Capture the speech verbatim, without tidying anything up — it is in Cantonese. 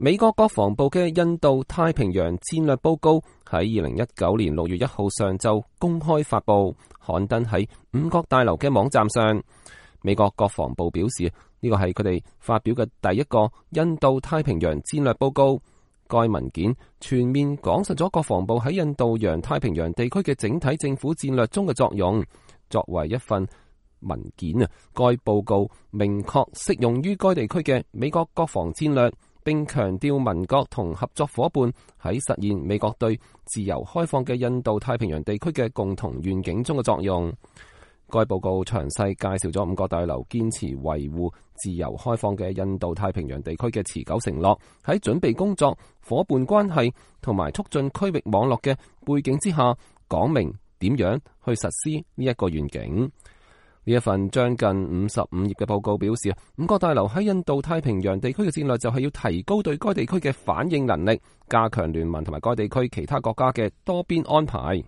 美國國防部嘅印度太平洋戰略報告喺二零一九年六月一號上晝公開發佈，刊登喺五角大樓嘅網站上。美國國防部表示，呢個係佢哋發表嘅第一個印度太平洋戰略報告。該文件全面講述咗國防部喺印度洋太平洋地區嘅整體政府戰略中嘅作用。作為一份文件啊，該報告明確適用於該地區嘅美國國防戰略，並強調盟國同合作夥伴喺實現美國對自由開放嘅印度太平洋地區嘅共同願景中嘅作用。該報告詳細介紹咗五角大樓堅持維護自由開放嘅印度太平洋地區嘅持久承諾，喺準備工作、夥伴關係同埋促進區域網絡嘅背景之下，講明點樣去實施呢一個願景。呢一份將近五十五頁嘅報告表示，五角大樓喺印度太平洋地區嘅戰略就係要提高對該地區嘅反應能力，加強聯盟同埋該地區其他國家嘅多邊安排。